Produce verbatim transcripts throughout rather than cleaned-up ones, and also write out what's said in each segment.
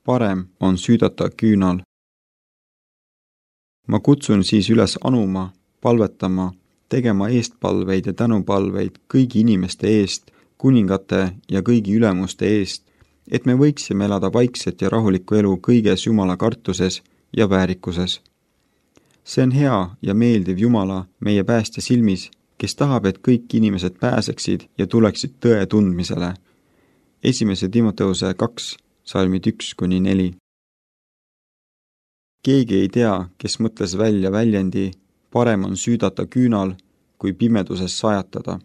parem on süüdata küünal. Ma kutsun siis üles anuma, palvetama, tegema eestpalveid ja tänupalveid kõigi inimeste eest, kuningate ja kõigi ülemuste eest, et me võiksime elada vaikset ja rahulikku elu kõiges Jumala kartuses ja väärikuses. See on hea ja meeldiv Jumala meie päästja silmis, kes tahab, et kõik inimesed pääseksid ja tuleksid tõe tundmisele. Esimese Timoteuse kaks, salmid üks kuni neli. Keegi ei tea, kes mõtles välja väljendi, parem on süüdata küünal, kui pimeduses sajatada.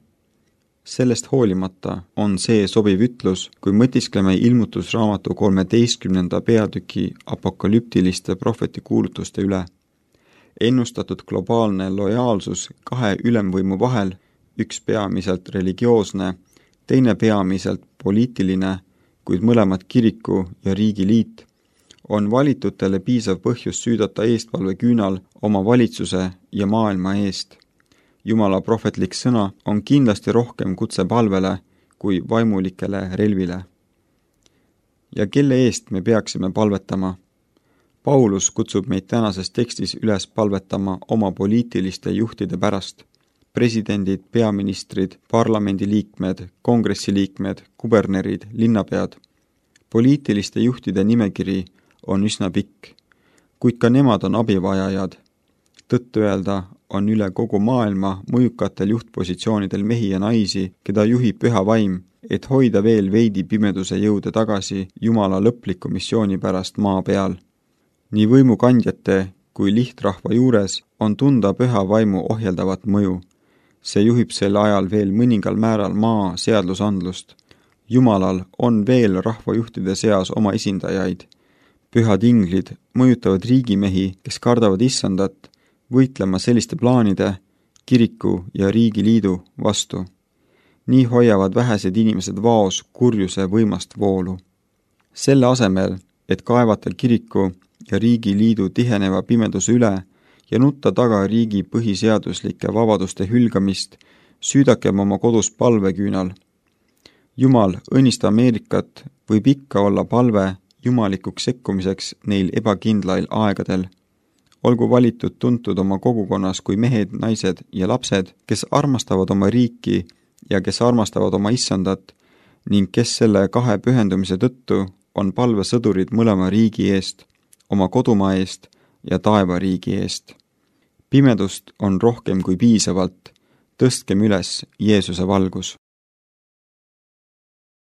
Sellest hoolimata on see sobiv ütlus, kui mõtiskleme ilmutusraamatu kolmeteistkümnenda peatüki apokalüptiliste prohveti kuulutuste üle. Ennustatud globaalne lojaalsus kahe ülemvõimu vahel, üks peamiselt religioosne, teine peamiselt poliitiline, kuid mõlemad kiriku ja riigi liit, on valitutele piisav põhjus süüdata eestpalve küünal oma valitsuse ja maailma eest. Jumala prohvetlik sõna on kindlasti rohkem kutse palvele kui vaimulikele relvile. Ja kelle eest me peaksime palvetama? Paulus kutsub meid tänases tekstis üles palvetama oma poliitiliste juhtide pärast. Presidendid, peaministrid, parlamendiliikmed, kongressiliikmed, kubernerid, linnapead. Poliitiliste juhtide nimekiri on üsna pikk, kuid ka nemad on abivajajad. Tõtt öelda on üle kogu maailma mõjukatel juhtpositsioonidel mehi ja naisi, keda juhib püha vaim, et hoida veel veidi pimeduse jõude tagasi Jumala lõpliku missiooni pärast maa peal. Nii võimukandjate kui lihtrahva juures on tunda püha vaimu ohjeldavat mõju. See juhib sel ajal veel mõningal määral maa seadlusandlust. Jumalal on veel rahvajuhtide seas oma esindajaid. Pühad inglid mõjutavad riigimehi, kes kardavad issandat, võitlema selliste plaanide, kiriku ja riigiliidu vastu. Nii hoiavad vähesed inimesed vaos kurjuse võimast voolu. Selle asemel, et kaevata kiriku ja riigiliidu tiheneva pimeduse üle ja nutta taga riigi põhiseaduslike vabaduste hülgamist, süüdakem oma kodus palveküünal. Jumal, õnnista Ameerikat võib ikka olla palve jumalikuks sekkumiseks neil ebakindlail aegadel. Olgu valitud tuntud oma kogukonnas kui mehed, naised ja lapsed, kes armastavad oma riiki ja kes armastavad oma issandat ning kes selle kahe pühendumise tõttu on palvesõdurid mõlema riigi eest, oma kodumaa eest ja taevariigi eest. Pimedust on rohkem kui piisavalt, tõstkem üles Jeesuse valgus.